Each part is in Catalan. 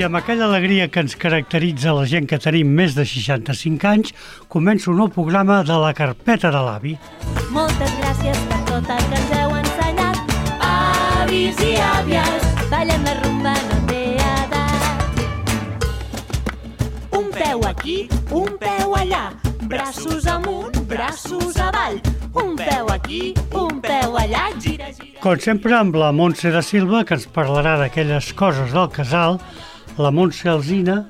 I amb aquella alegria que ens caracteritza la gent que tenim més de 65 anys, comença un nou programa de la carpeta de l'avi. Moltes gràcies per tot el que ens heu ensenyat. Avis i àvies, ballen la rumba, no té edat. Un peu aquí, un peu allà, braços amunt, braços avall. Un peu aquí, un peu allà, gira, gira. Com sempre, amb la Montse da Silva, que ens parlarà d'aquelles coses del casal, la Montse Alsina,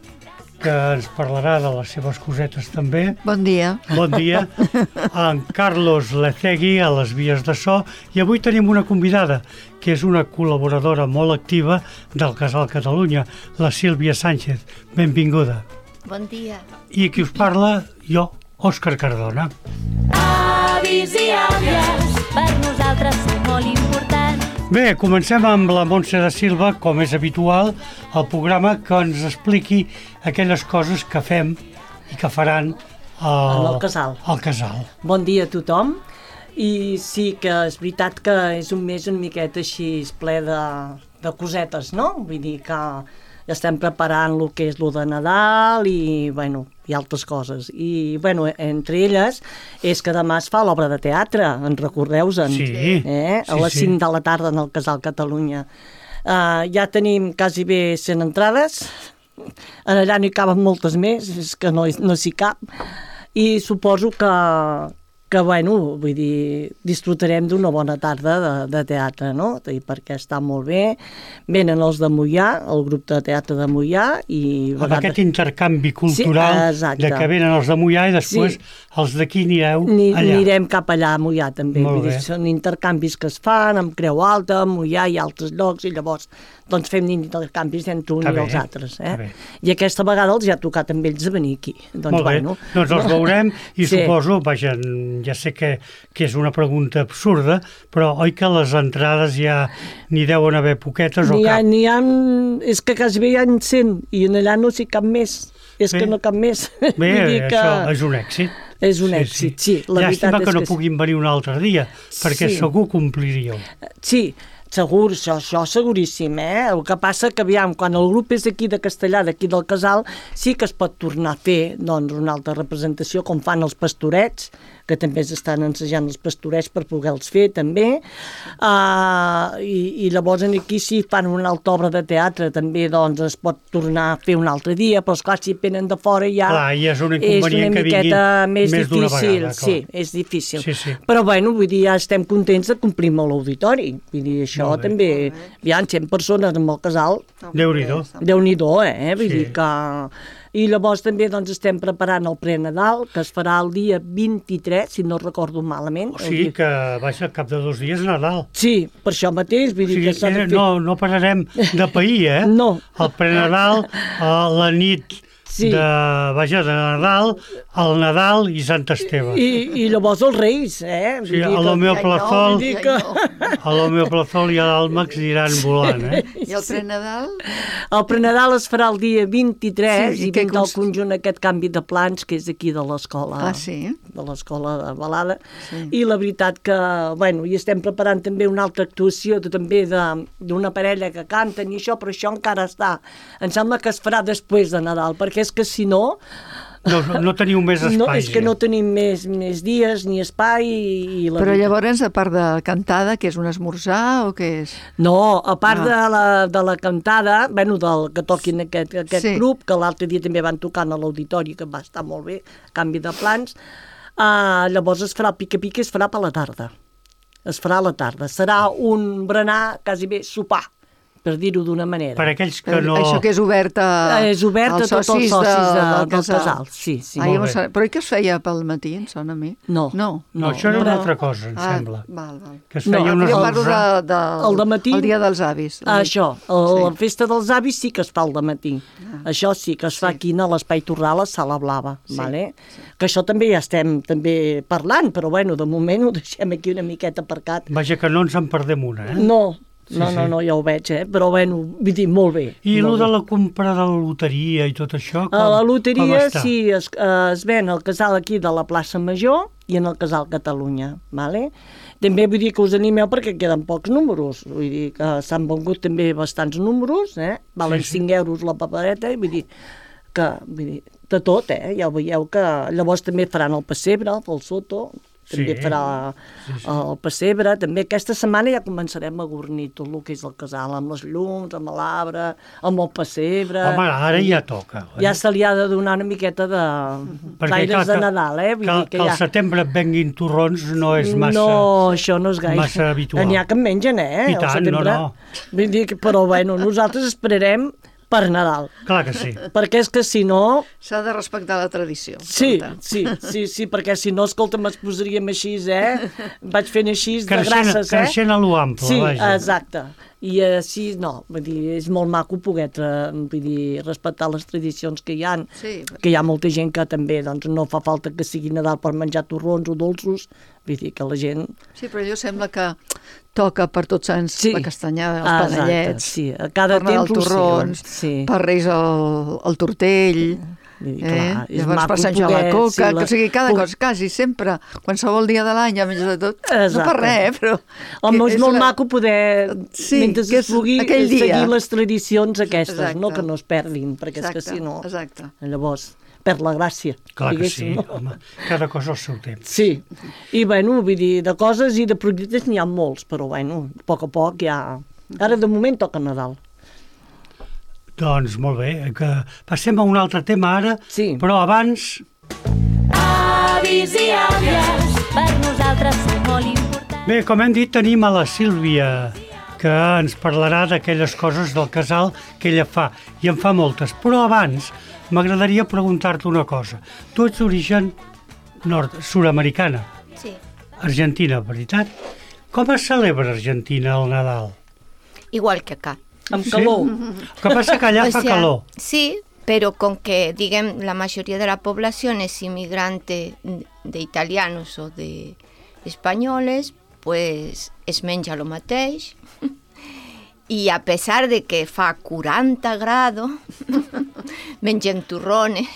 que ens parlarà de les seves cosetes també. Bon dia. Bon dia. En Carlos Lecegui, a les vies de so. I avui tenim una convidada, que és una col·laboradora molt activa del Casal Catalunya, la Sílvia Sánchez. Benvinguda. Bon dia. I qui us parla, jo, Òscar Cardona. Avis i àvies, per nosaltres sou molt importants. Bé, comencem amb la Montse da Silva, com és habitual, el programa que ens expliqui aquelles coses que fem i que faran al casal. Al casal. Bon dia a tothom. I sí que és veritat que és un mes una miqueta així ple de cosetes, no? Vull dir que ja estem preparant el que és lo de Nadal i, bueno, i altres coses. I, bueno, entre elles és que demà es fa l'obra de teatre, en recordeu-se'n? Sí. A les 5 de la tarda en el Casal Catalunya. Ja tenim quasi bé 100 entrades, allà n'hi caben moltes més, és que no s'hi cap, i suposo que bueno, vull dir, disfrutarem d'una bona tarda de teatre, no? Perquè està molt bé. Venen els de Moià, el grup de teatre de Moià, i Amb aquest intercanvi cultural, sí, de que venen els de Moià i després els d'aquí anireu allà. Anirem cap allà a Moià també. Molt Vull dir, bé. són intercanvis que es fan amb Creu Alta, Moià i altres llocs, i llavors doncs fem intercanvis entre un Està i bé, els altres. està bé. I aquesta vegada els ha tocat amb ells de venir aquí. Doncs, Molt bé, bueno, doncs els veurem i Sí. suposo, vaja, ja sé que és una pregunta absurda, però oi que les entrades ja n'hi deuen haver poquetes o cap? és que quasi bé hi ha 100 i en allà no s'hi cap més. És Bé. que no cap més. Bé, Vull dir que això és un èxit. és un èxit, sí. La Llàstima veritat que és no que sí. puguin venir un altre dia, perquè Sí. segur compliríeu. Sí, segur, això seguríssim, El que passa que, aviam, quan el grup és aquí de Castellà, d'aquí del Casal, sí que es pot tornar a fer, doncs, una altra representació, com fan els pastorets, que també s'estan ensejant els pastorets per poder-los fer, també. I llavors aquí sí fan una altra obra de teatre, també, doncs, es pot tornar a fer un altre dia, però, esclar, si venen de fora ja... Clar, i és un inconvenient que vinguin més més d'una difícil, vegada, clar. sí, és difícil. Sí. Però, bueno, vull dir, ja estem contents de complir amb l'auditori. Vull dir, això Molt bé. també... Aviam, 100 persones amb el casal, Déu-n'hi-do. Déu-n'hi-do, Vull Sí. dir que... I llavors també doncs, estem preparant el pre-Nadal, que es farà el dia 23, si no recordo malament. O sigui que, vaja, al cap de 2 dies Nadal. Sí, per això mateix, O vull dir sigui que s'ha de fer... no pararem de pair, No. El prenadal, la nit Sí. de Nadal, el Nadal i Sant Esteve. I llavors els Reis, Vull Sí, dir a que- l'Homeoplazol, vull dir que... a l'Homeoplazol i a l'Àlmax aniran volant, I el pre-Nadal? El pre-Nadal es farà el dia 23 Sí, i i què vindrà el conjunt aquest canvi de plans que és aquí de l'escola. Ah, sí? De l'escola de Balada. Sí. I la veritat que, bueno, i estem preparant també una altra actuació també d'una parella que canten i això, però això encara està. Em sembla que es farà després de Nadal, perquè és que si no... No teniu més espai. No, és que ja. no tenim més dies ni espai i la Però veritat- llavors, a part de cantada, que és un esmorzar o què és? No, a part de la cantada, bueno, del que toquin aquest Sí. grup, que l'altre dia també van tocant a l'auditori, que va estar molt bé, canvi de plans, llavors es farà el pica-pica, es farà per la tarda. Es farà a la tarda. Serà un berenar, quasi bé sopar, per dir-ho d'una manera. Per aquells que no... Això que és obert És obert a als tots els socis del del casal. Sí. Molt bé. Però oi que es feia pel matí, em sona a mi? No. No. No, això era una però- altra cosa, em sembla. Val. Que es No, feia un Jo parlo esmorzar. El dematí- el dia dels avis. Això, la festa dels avis sí que es fa al dematí. Això sí que es fa aquí a l'Espai Torral, a la Sala Blava. Vale? Que això també ja estem també parlant, però bueno, de moment ho deixem aquí una miqueta aparcat. Vaja, que no ens en perdem una, No, Sí, no, sí. ja ho veig, però bueno, vull dir, molt bé. I molt el de bé. la compra de la loteria i tot això, A la com loteria està? sí, es ven al casal aquí de la plaça Major i en el Casal Catalunya, ¿vale? També vull dir que us animeu perquè queden pocs números, vull dir que s'han vengut també bastants números, valen 5 euros la papereta, i vull dir de tot, ja ho veieu que llavors també faran el pessebre, el Soto, també farà el pessebre, també aquesta setmana ja començarem a gornir tot el que és el casal, amb les llums, amb l'arbre, amb el pessebre. Home, ara ja toca. Ja se li ha de donar una miqueta d'aires de Nadal, Que al setembre et venguin torrons no és massa... No, això no és gaire. Massa habitual. N'hi ha que en mengen, I tant, no. Vull dir però bueno, nosaltres esperarem per Nadal. Clar que sí. Perquè és que si no... S'ha de respectar la tradició. Sí, perquè si no, escolta'm, ens posaríem així, Vaig fent així de grasses, Creixent a lo ample, sí, vaja. exacte. I així, no, vull dir, és molt maco poder respectar les tradicions que hi ha, que hi ha molta gent que també doncs, no fa falta que sigui Nadal per menjar torrons o dolços, vull dir que la gent... Sí, però allò sembla que toca per Tots Sants la castanyada, els panellets, sí, a cada per Nadal temps torrons, per Reis el tortell... Clar, llavors per Sant Joan la coca, o sigui, cada cosa, quasi sempre, qualsevol dia de l'any ja menges de tot, no per res, però... Home, és molt maco poder, mentre es pugui, seguir les tradicions aquestes, no que no es perdin, perquè és que si no, llavors perd la gràcia. Clar que sí, home, cada cosa al seu temps. Sí, i bueno, vull dir, de coses i de projectes n'hi ha molts, però bueno, a poc ja... Ara de moment toca Nadal. Doncs molt bé, que passem a un altre tema ara, però abans... Avis i àvies, per nosaltres són molt importants. Bé, com hem dit, tenim a la Sílvia, que ens parlarà d'aquelles coses del casal que ella fa, i en fa moltes. Però abans m'agradaria preguntar-te una cosa. Tu ets d'origen sud-americana. Sí. Argentina, veritat? Com es celebra a Argentina el Nadal? Igual que acá. Amb calor. El que passa que allà fa calor. Sí, pero con que, digamos, la mayoría de la población es inmigrante de italianos o de españoles, pues es menja lo mateix. I a pesar de que fa 40 grados, mengen turrones.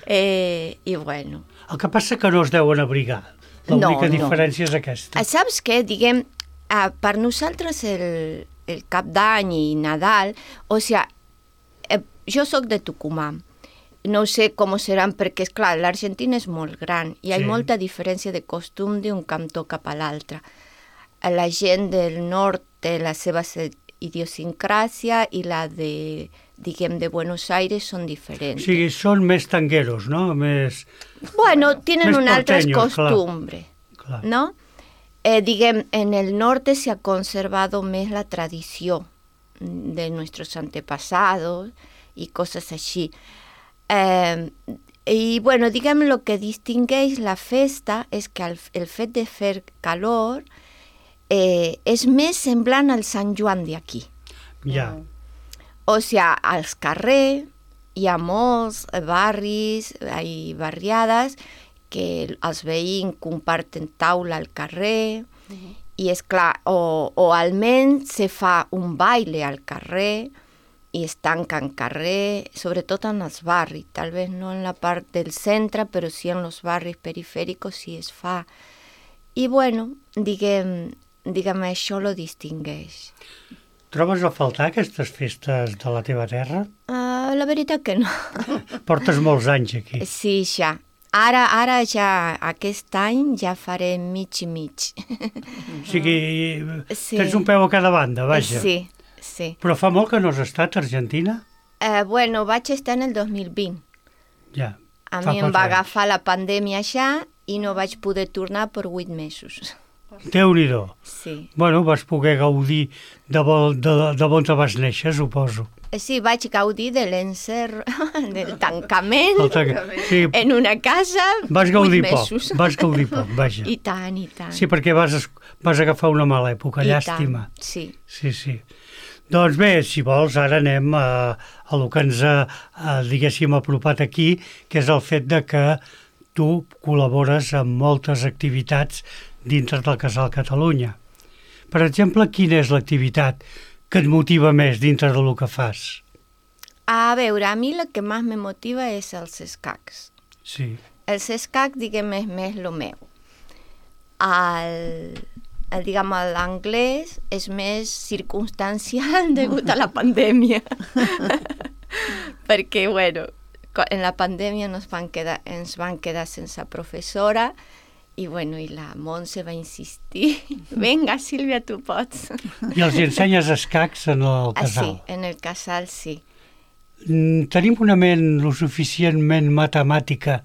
I bueno. El que passa que no es deuen abrigar. L'única diferència és aquesta. Saps què? Diguem, per nosaltres el Cap d'Any i Nadal, o sigui, jo sóc de Tucumán, no sé com seran perquè, esclar, l'Argentina és molt gran i hi ha molta diferència de costum d'un cantó cap a l'altre. La gent del nord té la seva idiosincràsia i la de, diguem, de Buenos Aires són diferents. O sigui, són més tangueros, no? Bueno, tienen una altra costumbre, ¿no? Diguem, en el norte se ha conservado más la tradición de nuestros antepasados y cosas así. Y bueno, diguem, lo que distingueix la festa és que el fet de fer calor és més semblant al Sant Joan d'aquí. Ja. O sigui, als carrers hi ha molts barris i barriades que els veïns comparten taula al carrer i és clar, o almenys se fa un baile al carrer i es tanca en carrer, sobretot en els barris, tal vez no en la part del centre, però sí en els barris perifèrics sí es fa. I bueno, diguem això lo distingueix. Trobes a faltar aquestes festes de la teva terra? La veritat que no. Portes molts anys aquí. Sí, ja. Ara ja, aquest any ja faré mig i mig. O sigui, tens un peu a cada banda, vaja. Sí. Però fa molt que no has estat a Argentina? Bueno, vaig estar en el 2020. Ja. A mi em va agafar la pandèmia ja i no vaig poder tornar per 8 mesos. Déu-n'hi-do. Sí. Bueno, vas poder gaudir de on te vas néixer, suposo. Sí, vaig gaudir de l'encerro, del tancament, sí. En una casa, vas gaudir 8 mesos. Vas gaudir poc, vaja. I tant. Sí, perquè vas agafar una mala època, llàstima. Sí. Doncs bé, si vols, ara anem a el que ens ha, diguéssim, apropat aquí, que és el fet de que tu col·labores amb moltes activitats dintre del Casal Catalunya. Per exemple, quina és l'activitat que et motiva més dintre del que fas? A veure, a mi el que més me motiva és els escacs. Sí. els escacs, diguem, és més el meu. Diguem, l'anglès és més circumstancial degut a la pandèmia. Perquè, bueno, en la pandèmia ens van quedar sense professora i, bueno, i la Montse va insistir. Vinga, Sílvia, tu pots. I els ensenyes escacs en el casal? Sí, en el casal sí. Tenim una ment lo suficientment matemàtica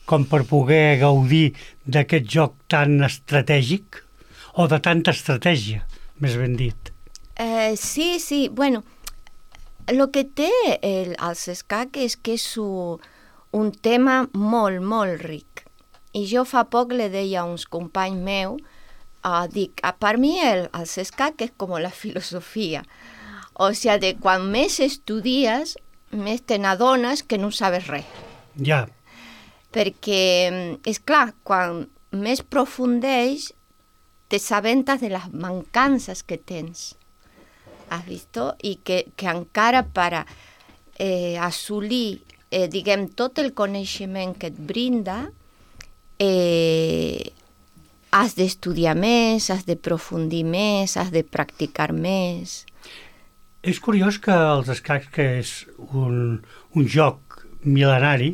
com per poder gaudir d'aquest joc tan estratègic? O de tanta estratègia, més ben dit? Sí. Bueno, el que té els escacs és que és un tema molt, molt ric. I jo fa poc le deia a uns companys meus, dic, per mi els escacs és com la filosofia. O sigui, quan més estudies, més te n'adones que no sabes res. Ja. Perquè, és clar, quan més profundeix, te s'aventes de les mancances que tens. Has vist? I que encara per assolir, diguem, tot el coneixement que et brinda, has d'estudiar més, has de profundir més, has de practicar més. És curiós que els escacs, que és un joc mil·lenari,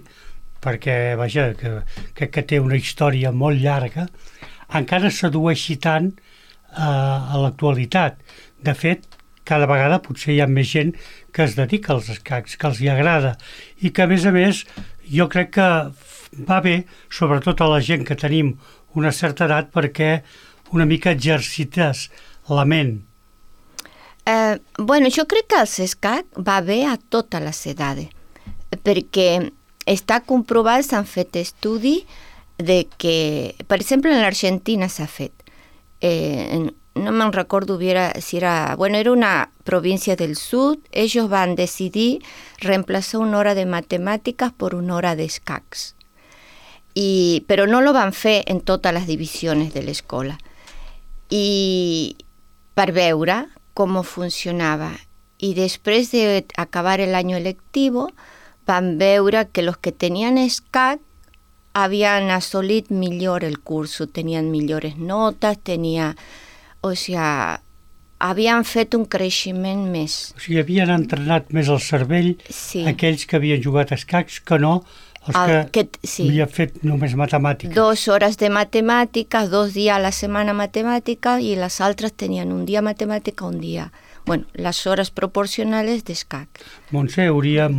perquè, vaja, que té una història molt llarga, encara sedueixi tant a l'actualitat. De fet, cada vegada potser hi ha més gent que es dedica als escacs, que els hi agrada, i que, a més, jo crec que va bé, sobretot a la gent que tenim una certa edat, perquè una mica exercites la ment. Bueno, jo crec que els escacs va bé a totes les edades, perquè està comprovat, s'han fet estudis de que, per exemple, en l'Argentina s'ha fet. No me'n recordo si era... Bueno, era una província del sud. Ellos van decidir reemplazar una hora de matemàtiques per una hora d'escacs. Però no lo van fer en totes les divisions de l'escola. I per veure com funcionava. I després d'acabar l'any lectiu, van veure que els que tenien escac habían assolit millor el curso, tenien millors notes, o sigui, havien fet un creixement més. O sigui, havien entrenat més el cervell aquells que havien jugat escacs que no els que havien fet només matemàtiques. 2 hores de matemàtiques, 2 dies a la setmana matemàtica, i les altres tenien un dia matemàtica, un dia... Bueno, les hores proporcionals d'escac. Montse, hauríem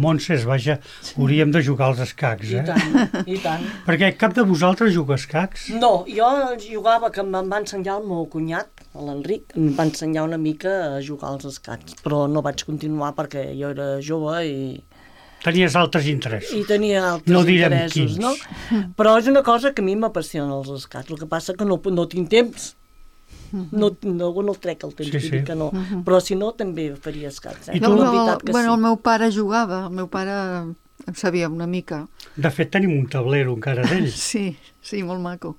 de jugar als escacs, I tant. Perquè cap de vosaltres juga escacs? No, jo jugava, que em va ensenyar el meu cunyat, l'Enric, em va ensenyar una mica a jugar als escacs, però no vaig continuar perquè jo era jove i... Tenies altres interessos. I tenia altres interessos, no? Però és una cosa que a mi m'apassiona els escacs, el que passa que no tinc temps. No trec el temps, dir que no. Però si no, també faria escacs. I tu? El meu pare jugava, el meu pare en sabia una mica. De fet, tenim un tablero encara d'ell. Sí, molt maco.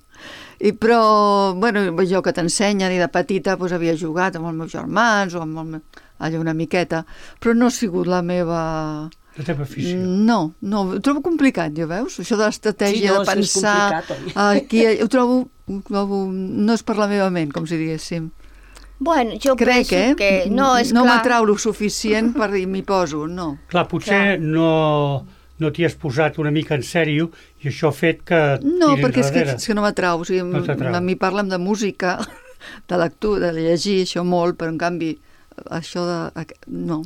Però, bueno, jo que t'ensenyen, i de petita havia jugat amb els meus germans, o amb allà una miqueta, però no ha sigut la meva... La teva afició? No, ho trobo complicat, ja veus? Això de l'estratègia, de pensar... Aquí, ho trobo... No és per la meva ment, com si diguéssim. Bueno, jo penso que... No m'atrau lo suficient per dir m'hi poso, no. Clar, potser no t'hi has posat una mica en sèrio i això ha fet que no, perquè és que no m'atrau. O sigui, a mi parlen de música, de lectura, de llegir, això molt, però en canvi... Això de... No,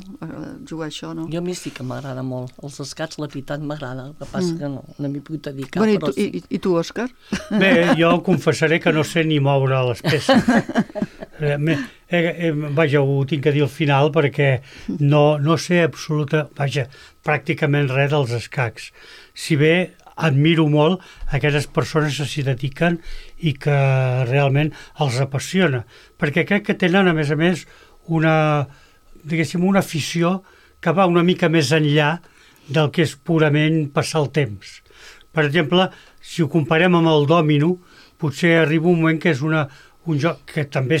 jugar això no. Jo a mi sí que m'agrada molt. Els escacs, la veritat, m'agrada. El que passa que no m'hi puc dedicar. Bueno, però sí. I tu, Òscar? Bé, jo confessaré que no sé ni moure les peces. Vaja, ho tinc que dir al final perquè no sé pràcticament res dels escacs. Si bé admiro molt aquelles persones que s'hi dediquen i que realment els apassiona. Perquè crec que tenen, a més, una afició que va una mica més enllà del que és purament passar el temps. Per exemple, si ho comparem amb el dòmino, potser arriba un moment que és un joc que també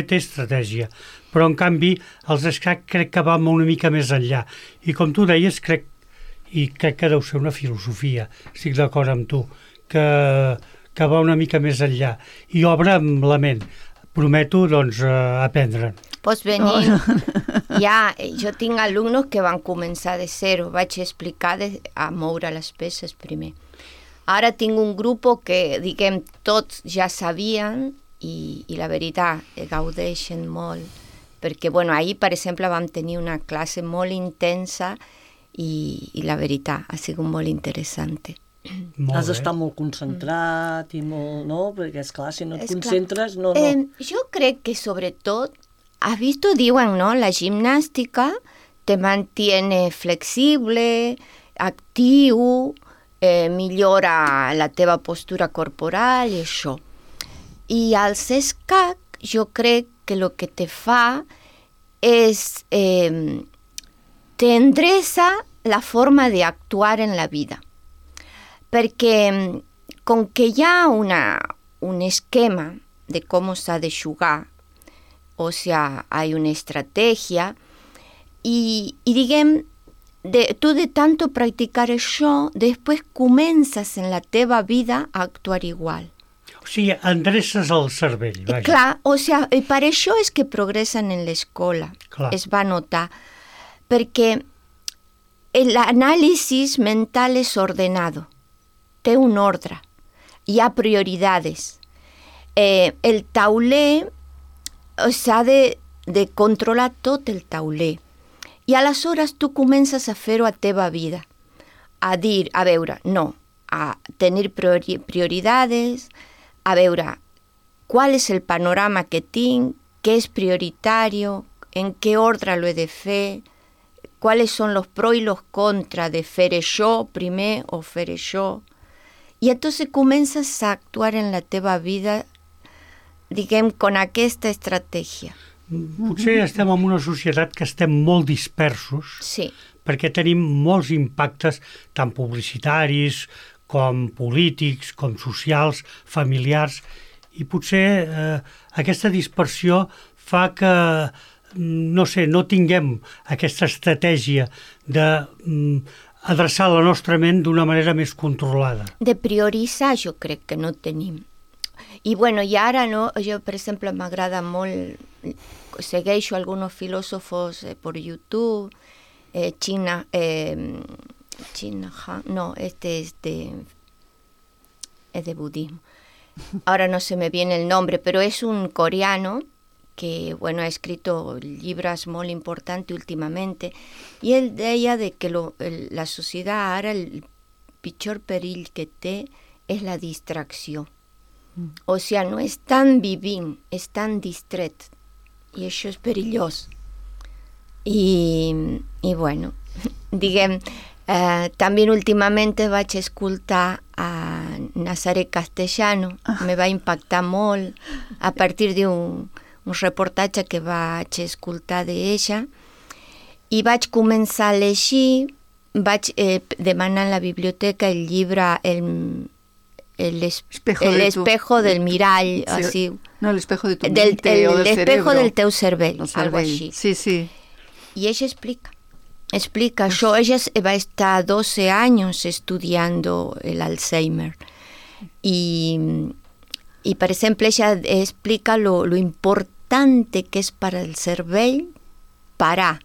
té estratègia, però en canvi els escacs crec que va una mica més enllà. I com tu deies, crec, i crec que deu ser una filosofia, estic d'acord amb tu, que va una mica més enllà i obre la ment. Prometo, doncs, aprendre'n. Pots venir. Jo tinc alumnos que van començar de zero. Vaig explicar a moure les peces primer. Ara tinc un grup que, diguem, tots ja sabien i la veritat, gaudeixen molt. Perquè, bueno, ahir, per exemple, vam tenir una classe molt intensa i la veritat, ha sigut molt interessant. Has d'estar molt concentrat i molt, no? Perquè, esclar, si no et concentres, no. Jo crec que, sobretot, has visto, diuen, ¿no? La gimnàstica te mantiene flexible, actiu, millora la teva postura corporal i això. I al escac, jo crec que el que te fa és te endreça la forma d'actuar en la vida. Perquè com que hi ha un esquema de com s'ha de jugar, o sea, hay una estrategia, y diguem, tu de tanto practicar això, després comences en la teva vida a actuar igual. O sigui, endreces el cervell, vaja. Clar, o sea, per això és que progressen en l'escola, es va notar, perquè l'anàlisi mental és ordenado, té un ordre, hi ha prioritats. El tauler s'ha de controlar tot el tauler. I aleshores tu comences a fer-ho a teva vida, a dir, a veure, no, a tenir prioritats, a veure qual és el panorama que tinc, què és prioritari, en què ordre lo he de fer, quals són els pros i els contra de fer això primer o fer això. I entonces comences a actuar en la teva vida, diguem, con aquesta estratègia. Potser estem en una societat que estem molt dispersos, sí, perquè tenim molts impactes, tant publicitaris, com polítics, com socials, familiars, i potser aquesta dispersió fa que, no sé, no tinguem aquesta estratègia d'adreçar la nostra ment d'una manera més controlada. De prioritzar jo crec que no tenim. I bueno, i ara no, jo per exemple m'agrada molt, segueixo algunos filòsofos per YouTube, China Han, no, este es de budismo. Ahora no se me viene el nombre, pero es un coreano que, bueno, ha escrito libros muy importantes últimamente, y él deia de que la sociedad ara el pitjor perill que té és la distracció. O sigui, no estan vivint, estan distret, i això és perillós. I bueno, diguem, també últimament vaig escoltar a Nazaret Castellano, me va impactar molt a partir d'un reportatge que vaig escoltar d'ella, i vaig començar a llegir, vaig demanar a la biblioteca el llibre El espejo del mirall, sí, así. No, el espejo de tu mente o del el espejo cerebro. del teu cervell, algo així. Sí, sí. Y ella explica això. Ella va a estar 12 años estudiando el Alzheimer. Y por ejemplo, ella explica lo importante que es para el cervell parar,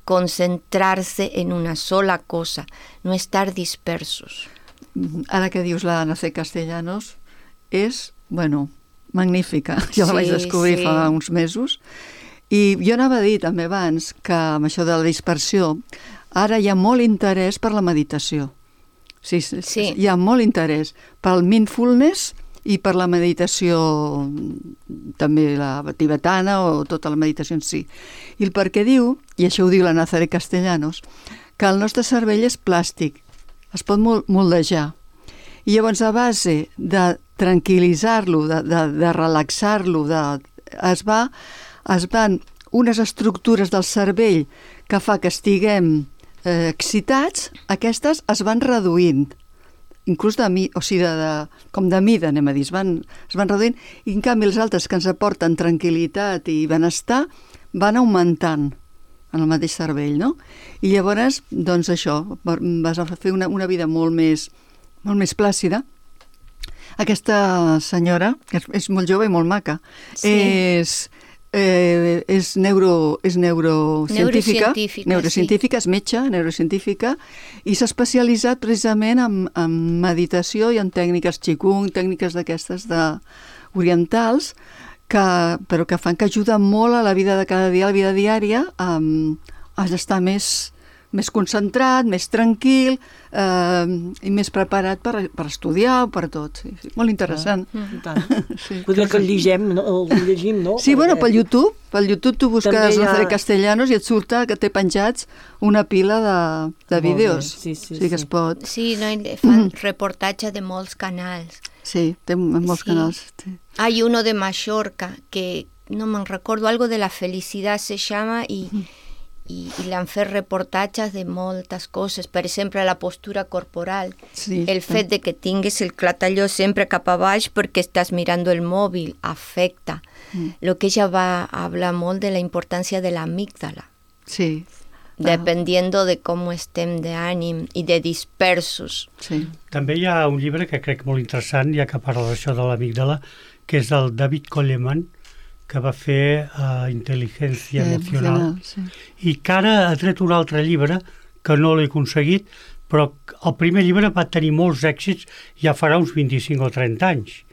concentrarse en una sola cosa, no estar dispersos. Ara que dius la Nazaret Castellanos, és, bueno, magnífica. Jo la vaig descobrir fa uns mesos. I jo anava a dir també abans que amb això de la dispersió, ara hi ha molt interès per la meditació. Sí. Hi ha molt interès pel mindfulness i per la meditació, també la tibetana o tota la meditació en si. I el perquè diu, i això ho diu la Nazaret Castellanos, que el nostre cervell és plàstic, es pot moldejar. I llavors, a base de tranquil·litzar-lo, de relaxar-lo, es van unes estructures del cervell que fa que estiguem excitats, aquestes es van reduint, inclús com de mida, anem a dir, es van reduint, i en canvi els altres que ens aporten tranquil·litat i benestar van augmentant. en el mateix cervell, no? I llavors, doncs això, vas a fer una vida molt més plàcida. Aquesta senyora, que és molt jove i molt maca, Sí. és neurocientífica, Neurocientífica, és metge, neurocientífica, i s'ha especialitzat precisament en meditació i en tècniques qigong, tècniques d'aquestes orientals, però que fan que ajuda molt a la vida de cada dia, a la vida diària, a estar més concentrat, més tranquil i més preparat per estudiar o per tot. Sí. Molt interessant. I tant. Sí. Potser que el llegim, no? Sí, bueno, pel YouTube tu busques També Lázaro Castellanos i et surta que té penjats una pila de vídeos. Sí, que es pot. Sí, no, fan reportatge de molts canals. Sí, té molts canals. Sí. Hay uno de Mallorca que no me recuerdo, algo de la felicidad se llama y le han fet reportatges de moltes coses, per exemple la postura corporal, Sí, el fet de que tinguis el clatalló sempre cap a baix perquè estàs mirando el mòbil afecta. Lo que ella va a hablar molt de la importància de l'amígdala, Sí. dependiendo de com estem d'ànim i de dispersos. Sí. També hi ha un llibre que crec molt interessant, ja que parla d'això de l'amígdala, que és del David Coleman, que va fer Intel·ligència Emocional, Sí. i que ara ha tret un altre llibre que no l'he aconseguit, però el primer llibre va tenir molts èxits ja farà uns 25 o 30 anys,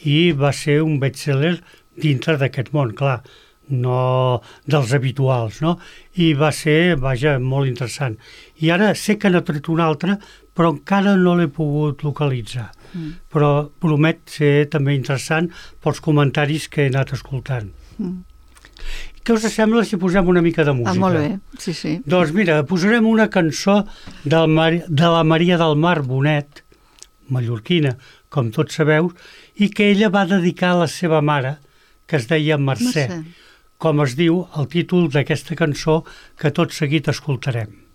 i va ser un best-seller dintre d'aquest món, clar, no dels habituals, no? I va ser, molt interessant. I ara sé que n'ha tret un altre, però encara no l'he pogut localitzar. Però promet ser també interessant pels comentaris que he anat escoltant. Què us sembla si posem una mica de música? Molt bé, sí. Doncs mira, posarem una cançó de la Maria del Mar Bonet, mallorquina, com tots sabeu, i que ella va dedicar a la seva mare, que es deia Mercè. Com es diu el títol d'aquesta cançó que tot seguit escoltarem.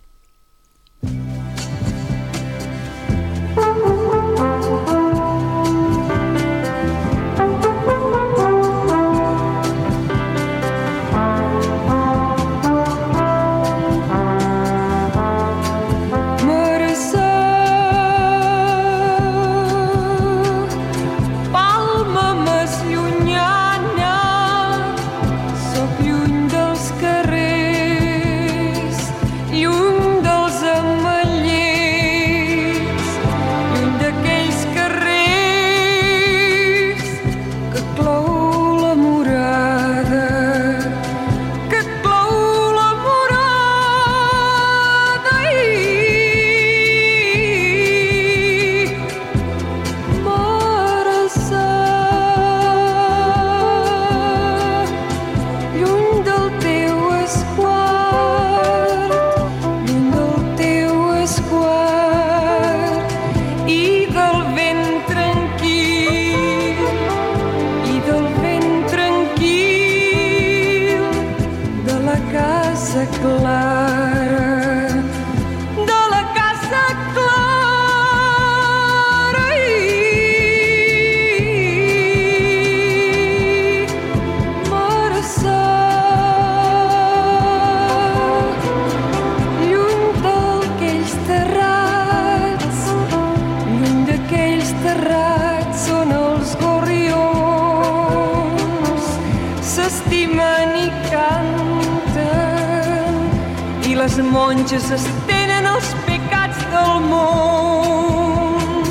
Les monges estenen els pecats del món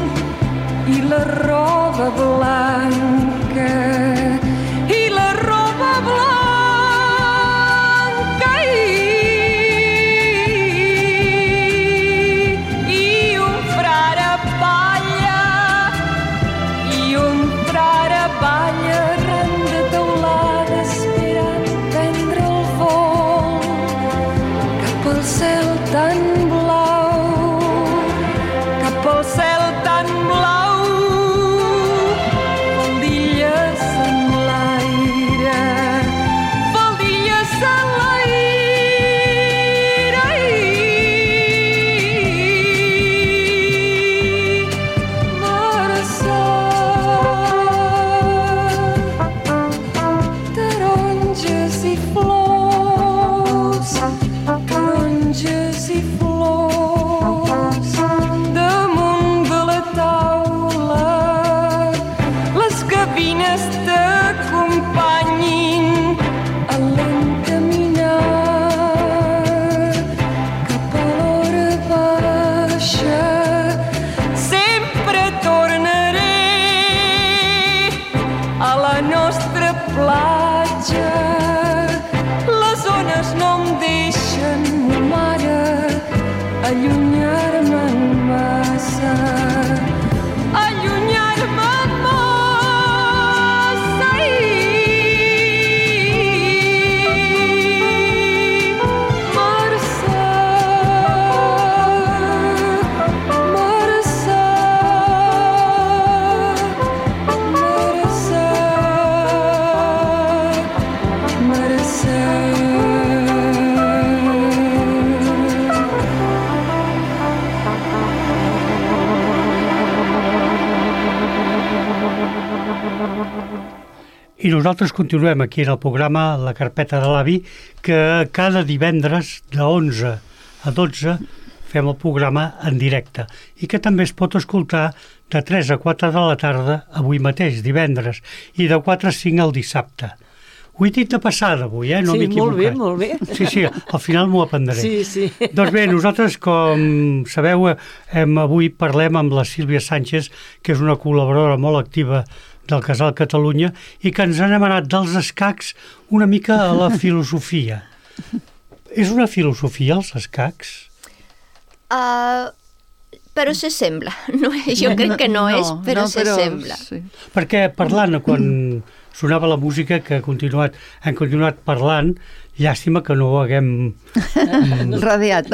i la roba blanca, i la roba blanca, i un frare balla, arran de teulada esperant prendre el vol cap al cel tan blau, cap al cel tan blau. Vol dir allunyar-me'n massa, allunyar-me'n massa i I nosaltres continuem aquí en el programa La Carpeta de l'Avi, que cada divendres de 11 a 12 fem el programa en directe i que també es pot escoltar de 3 a 4 de la tarda avui mateix, divendres, i de 4 a 5 el dissabte. Ho he dit de passada avui, no m'he equivocat. Molt bé. Sí, al final m'ho aprendré. Sí. Doncs bé, nosaltres, com sabeu, avui parlem amb la Sílvia Sánchez, que és una col·laboradora molt activa del Casal Catalunya i que ens han anat dels escacs una mica a la filosofia. És una filosofia, els escacs? Però s'assembla. Jo crec que no és, però s'assembla. Sí. Perquè parlant, quan sonava la música, que hem continuat parlant, llàstima que no ho haguem radiat,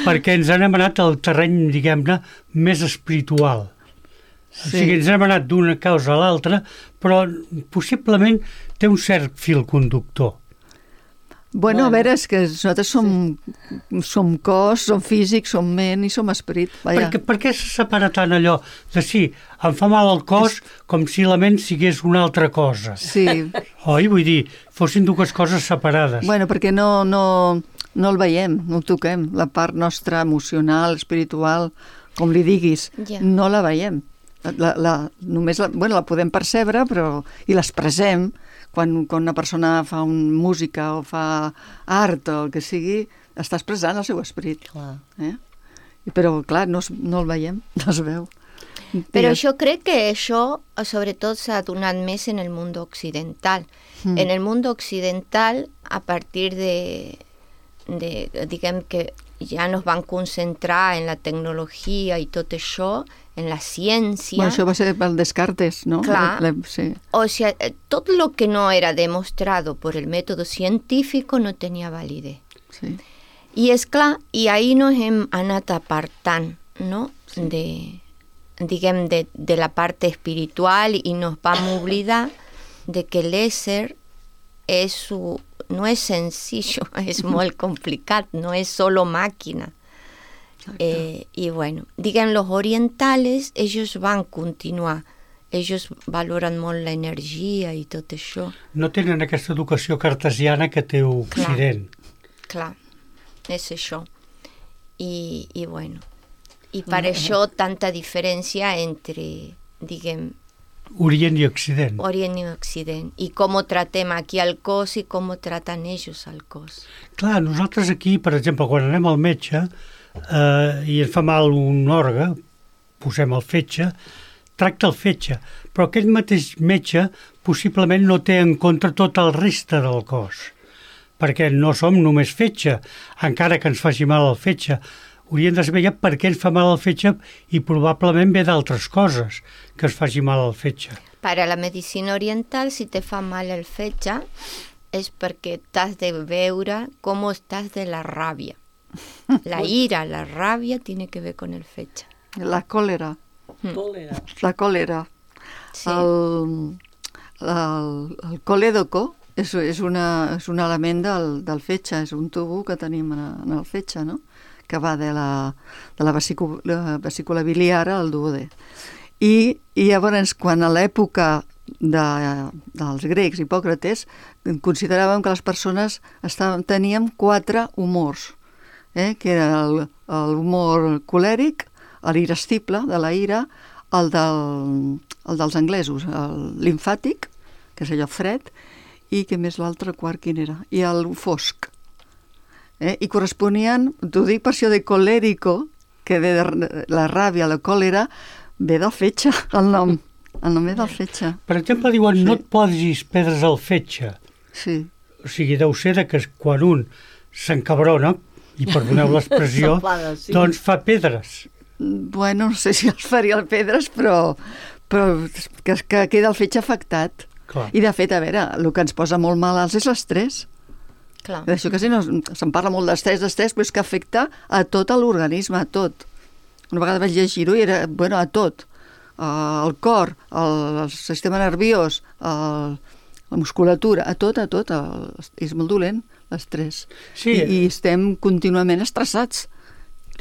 perquè ens han anat al terreny, diguem-ne, més espiritual. Sí. O sigui, ens hem anat d'una causa a l'altra, però possiblement té un cert fil conductor. Bueno, a veure, és que nosaltres som cos, som físic, som ment i som esperit. Per què se separa tant allò de sí, em fa mal el cos com si la ment sigués una altra cosa? Sí. Oi? Vull dir, fossin dues coses separades. Bueno, perquè no el veiem, no el toquem. La part nostra emocional, espiritual, com li diguis, no la veiem. Només la podem percebre, però i l'expressem quan una persona fa música o fa art o el que sigui, està expressant el seu esperit. Però clar, no el veiem, no es veu. Però jo crec que això sobretot s'ha donat més en el món occidental. En el món occidental, a partir de diguem que ja nos van concentrar en la tecnologia i tot això, en la ciència... Bueno, això va ser pel Descartes, ¿no? Clar. Sí. O sea, tot lo que no era demostrado por el método científico no tenia validez. Sí. I és clar, i ahir nos hem anat apartant, no? Sí. De la part espiritual i nos vam oblidar de que l'ésser no es sencillo, es molt complicat, no es solo máquina. Y bueno, digan los orientales, ellos van continuar, ellos valoren molt l'energia i tot això. No tenen aquesta educació cartesiana que té Occident. Clar, és això. I bueno, i per això tanta diferència entre, diguem, Orient i Occident. Orient i Occident. I com tratem aquí al cos i com traten ells al cos. Clar, nosaltres aquí, per exemple, quan anem al metge i ens fa mal un òrgan, posem el fetge, tracta el fetge, però aquell mateix metge possiblement no té en compte tot el reste del cos, perquè no som només fetge, encara que ens faci mal el fetge. Hauríem de saber ja per què ens fa mal el fetge i probablement ve d'altres coses que es faci mal al fetge. Per a la medicina oriental, si te fa mal el fetge, és perquè t'has de veure com estàs de la ràbia. La ira, la ràbia, tiene que ver con el fetge. La còlera. La còlera. Sí. El colédoco és un element del fetge, és un tubo que tenim en el fetge, no? Que va de la vesícula biliar al duodè. I llavors, quan a l'època dels grecs, Hipòcrates, consideràvem que les persones teníem 4 humors, que era l'humor colèric, l'irascible, de la ira, el dels anglesos, el limfàtic, que és allò fred, i que més l'altre quart quin era? I el fosc. I corresponien, t'ho dic per això de colèrico, que ve de la ràbia, la còlera, ve del fetge, el nom ve del fetge. Per exemple, diuen, no et posis pedres al fetge. Sí. O sigui, deu ser que quan un s'encabrona, i perdoneu l'expressió, S'enfada, sí. doncs fa pedres. Bueno, no sé si els faria el pedres, però que queda el fetge afectat. Clar. I de fet, a veure, el que ens posa molt malalts és l'estrès. Clar. D'això que sí, no, se'n parla molt d'estrès, però és que afecta a tot l'organisme, a tot. Una vegada vaig llegir-ho i era, bueno, a tot. El cor, el sistema nerviós, la musculatura, a tot. És molt dolent, l'estrès. Sí. I estem contínuament estressats.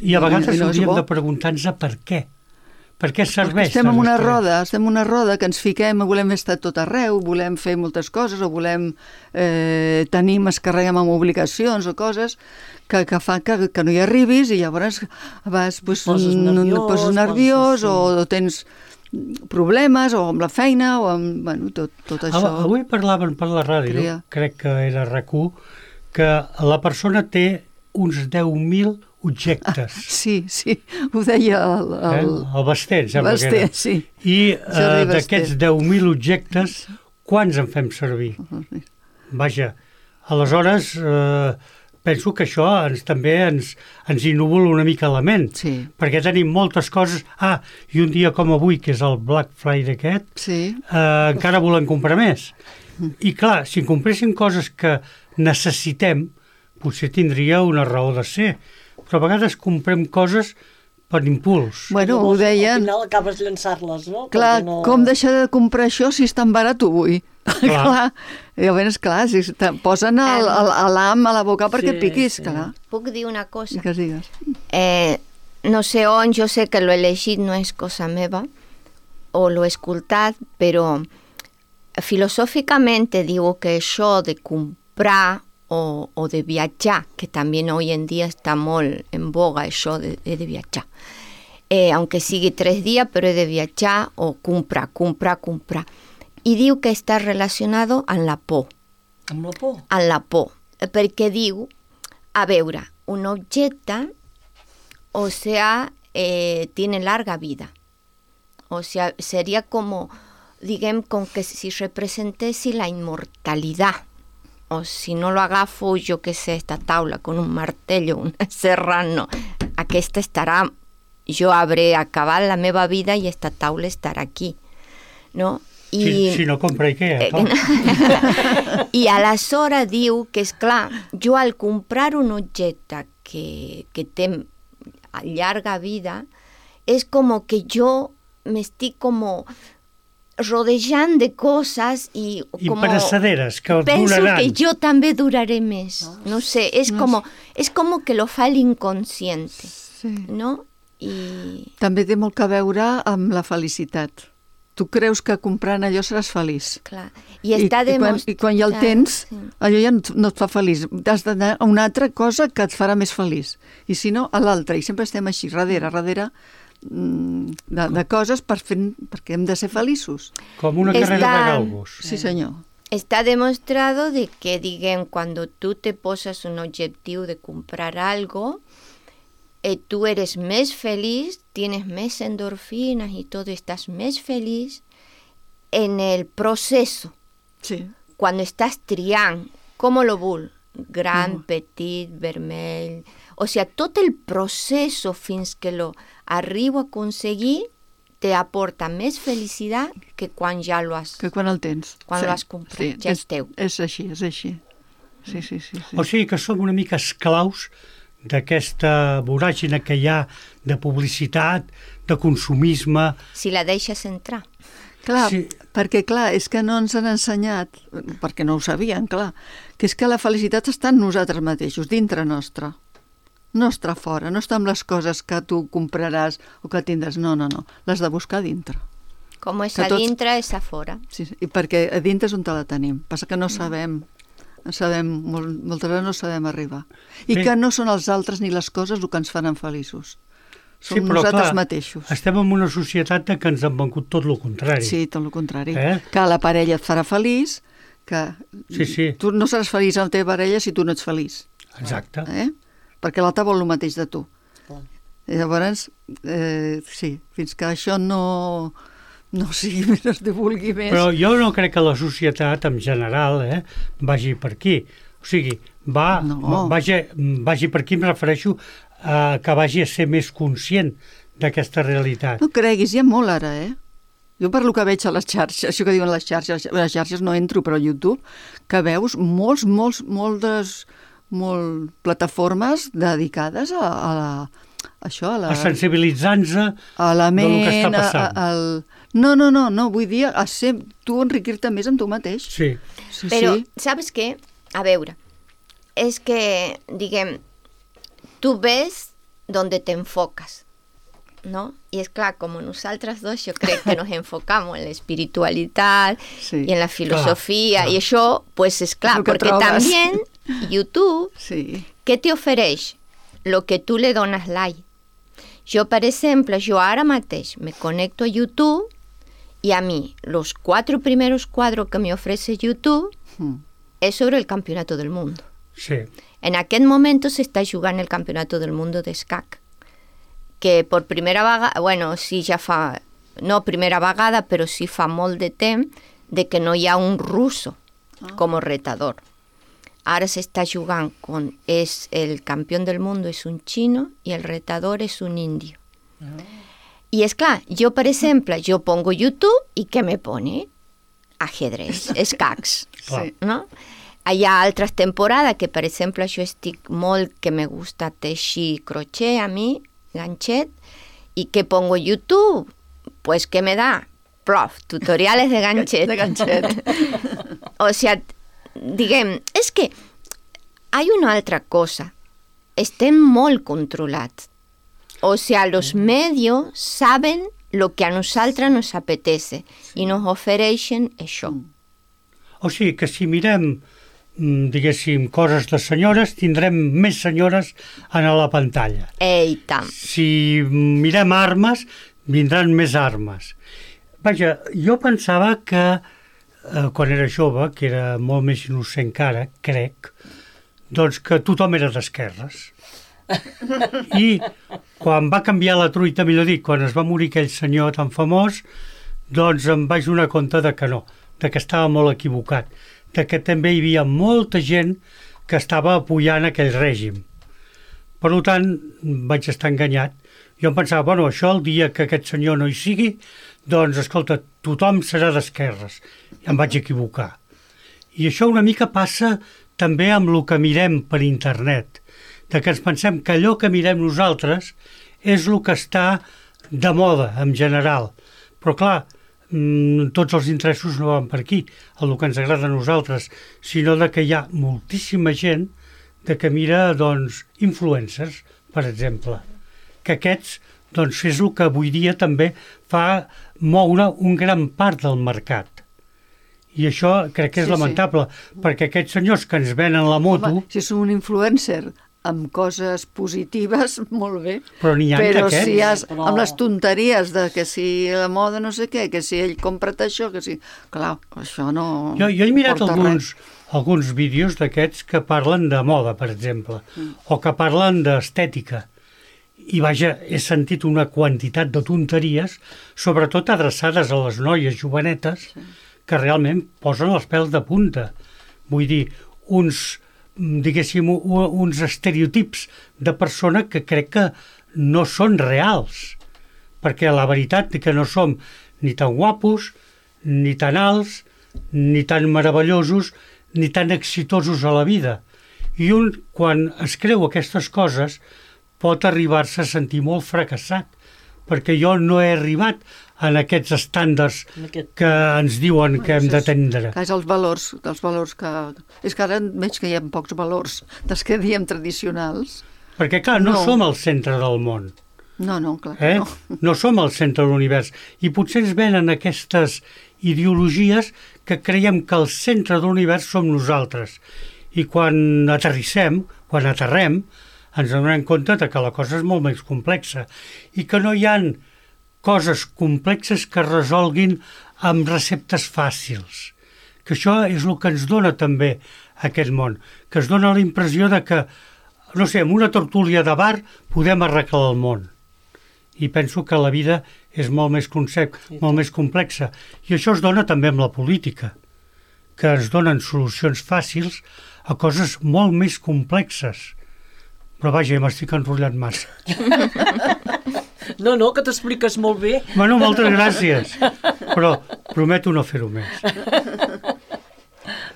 I a vegades no és hauríem bo. de preguntar-nos per què. Per què serveix? Estem en tot una l'estrès? roda que ens fiquem, volem estar tot arreu, volem fer moltes coses, o volem ens carreguem amb obligacions o coses que fa que no hi arribis, i llavors vas, pues, Poses nerviós, o tens problemes, o amb la feina, o amb, bueno, tot això. Avui parlaven per la ràdio, Crea. crec que era RAC1, que la persona té uns 10.000 objectes. Sí, ho deia El Basté, em sembla que era. Basté, sí. I Jordi d'aquests 10.000 objectes, quants en fem servir? Vaja, aleshores penso que això també ens innúvol una mica la ment, Sí. perquè tenim moltes coses. I un dia com avui, que és el Black Friday aquest, Sí. encara volem comprar més. I clar, si compréssim coses que necessitem, potser tindria una raó de ser, però a vegades comprem coses per impuls. Bueno, ho Llavors, deien. Al final acabes llançar-les, no? Clar, Perquè no... com deixar de comprar això si és tan barat ho vull? Clar. Llavors, clar, si te posen l'am a la boca perquè et piquis, sí. clar. Puc dir una cosa? Digues. No sé on, jo sé que lo he llegit, no és cosa meva, o lo he escoltat, però filosòficament diu que això de comprar o de viatjar, que també hoy en dia està molt en boga això de viatjar. Aunque sigui 3 dies, però he de viatjar o comprar. I diu que està relacionat amb la por. Amb la por? Amb la por, perquè diu, a veure, un objecte, o sea, tiene larga vida. O sea, sería como, digamos, con que si representesi la inmortalidad. O si no lo agafo, jo que sé, esta taula con un martello, una serra, no. Aquesta estarà, jo hauré acabat la meva vida i esta taula estarà aquí, no? Si no compra Ikea, clar. I aleshores diu que, és clar, jo al comprar un objecte que té llarga vida, és com que jo m'estic com rodejant de coses i perecederes que penso duraran. que jo també duraré més. No sé, és com que lo fa l'inconscient, Sí. no? I... També té molt que veure amb la felicitat. Tu creus que comprant allò seràs feliç. Clar. I està I quan ja el tens, sí. allò ja no et fa feliç. Has d'anar a una altra cosa que et farà més feliç. I si no, a l'altra. I sempre estem així, darrere de coses perquè hem de ser feliços. Com una carrera de galgos. Sí, senyor. Está demostrado de que, digamos, cuando tú te posas un objetivo de comprar algo, tú eres más feliz, tienes más endorfinas y todo, estás más feliz en el proceso. Sí. Cuando estás triant, com lo vol? Gran, petit, vermell... O sea, tot el procés fins que lo arribo a aconseguir te aporta més felicitat que quan ja lo has... Que quan el tens. Quan l'has comprat, ja és teu. És així. Sí. O sigui que som una mica esclaus d'aquesta voràgina que hi ha de publicitat, de consumisme... Si la deixes entrar. Clar, Sí. perquè clar, és que no ens han ensenyat, perquè no ho sabien, clar, que és que la felicitat està en nosaltres mateixos, dintre nostre. No està fora, no està amb les coses que tu compraràs o que tindràs, no, l'has de buscar dintre. Com és Que a tots- dintre, és a fora. Sí, i perquè a dintre és on te la tenim, passa que no sabem, moltes vegades no sabem arribar. I Bé. que no són els altres ni les coses el que ens faran feliços. Som Sí, però nosaltres clar, mateixos. estem en una societat que ens han vengut tot el contrari. Sí, tot el contrari. Eh? Que la parella et farà feliç, que Sí. tu no seràs feliç amb la teva parella si tu no ets feliç. Exacte. Perquè l'altre vol el mateix de tu. Clar. I llavors, sí, fins que això no sigui més, es divulgui més. Però jo no crec que la societat en general vagi per aquí. O sigui, vagi per aquí, em refereixo a que vagi a ser més conscient d'aquesta realitat. No creguis, hi ha molt ara, Jo per lo que veig a les xarxes, això que diuen les xarxes no entro, però a YouTube, que veus moltes plataformes dedicades a sensibilitzant-se a la ment, del que està passant. No, vull dir, a ser tu enriquir-te més amb tu mateix. Sí. Però, ¿sabes qué? A veure, és que, diguem, tu ves donde te enfocas, ¿no? Y es claro, como nosaltres dos, yo creo que nos enfocamos en la espiritualidad y en la filosofía, y eso, pues es claro, porque también YouTube, ¿qué te ofereix? Lo que tu le dones like. Jo, per exemple, ara mateix me conecto a YouTube y a mí los 4 primeros cuadros que me ofrece YouTube es sobre el campeonato del mundo. Sí. En aquest momento se està jugant el campeonato del mundo d'escac, que per primera vegada, bueno, sí ja fa, no primera vegada, però sí fa molt de temps de que no hi ha un ruso com a retador. Ara s'està jugant el campió del mundo és un xino i el retador és un indio. I és clar, jo, per exemple, jo pongo YouTube i què me pone? Ajedrez, escacs, no? Hi ha altres temporades que, per exemple, jo estic molt, que me gusta teixir crochet a mi, ganchet, y que pongo YouTube, pues ¿qué me da? Prof, tutoriales de ganchet. De ganchet. O sea, diguem, és que hay una altra cosa, estem molt controlats. O sea, los medios saben lo que a nosaltres nos apetece i nos ofereixen això. O sigui que si mirem, diguéssim, coses de senyores, tindrem més senyores a la pantalla. I tant. Si mirem armes, vindran més armes. Vaja, jo pensava que quan era jove, que era molt més innocent que ara, crec, doncs que tothom era d'esquerres. I quan va canviar la truita, millor dit, quan es va morir aquell senyor tan famós, doncs em vaig donar compte de que no, de que estava molt equivocat, de que també hi havia molta gent que estava apoyant aquell règim. Per tant, vaig estar enganyat. Jo em pensava, bueno, això el dia que aquest senyor no hi sigui, doncs, escolta, tothom serà d'esquerres. I em vaig equivocar. I això una mica passa també amb el que mirem per internet, de que ens pensem que allò que mirem nosaltres és el que està de moda, en general. Però, clar, tots els interessos no van per aquí, el que ens agrada a nosaltres, sinó de que hi ha moltíssima gent de que mira, doncs, influencers, per exemple, que aquests, doncs, és el que avui dia també fa moure un gran part del mercat. I això crec que és lamentable, perquè aquests senyors que ens venen la moto... Home, si som un influencer amb coses positives, molt bé. Però n'hi ha però d'aquests. Si has, amb les tonteries de que si la moda no sé què, que si ell compra't això, que si... Clar, això no... Jo he mirat alguns vídeos d'aquests que parlen de moda, per exemple, o que parlen d'estètica. I vaja, he sentit una quantitat de tonteries, sobretot adreçades a les noies jovenetes, que realment posen els pèls de punta. Vull dir, uns estereotips de persona que crec que no són reals, perquè la veritat és que no som ni tan guapos, ni tan alts, ni tan meravellosos, ni tan exitosos a la vida. I un, quan es creu aquestes coses, pot arribar-se a sentir molt fracassat, perquè jo no he arribat en aquests estàndards que ens diuen que hem d'atendre. Que és els valors que... És que ara veig que hi ha pocs valors dels que diem tradicionals. Perquè, clar, no som el centre del món. No, clar que no. No som el centre de l'univers. I potser ens venen aquestes ideologies que creiem que el centre de l'univers som nosaltres. I quan aterrem, ens donem compte que la cosa és molt més complexa i que no hi ha coses complexes que es resolguin amb receptes fàcils. Que això és el que ens dona també aquest món, que es dona la impressió de que, no sé, amb una tertúlia de bar podem arreglar el món. I penso que la vida és molt més complexa. I això es dona també amb la política, que ens donen solucions fàcils a coses molt més complexes. Però vaja, ja m'estic enrotllant massa. No, que t'expliques molt bé. Bueno, moltes gràcies, però prometo no fer-ho més.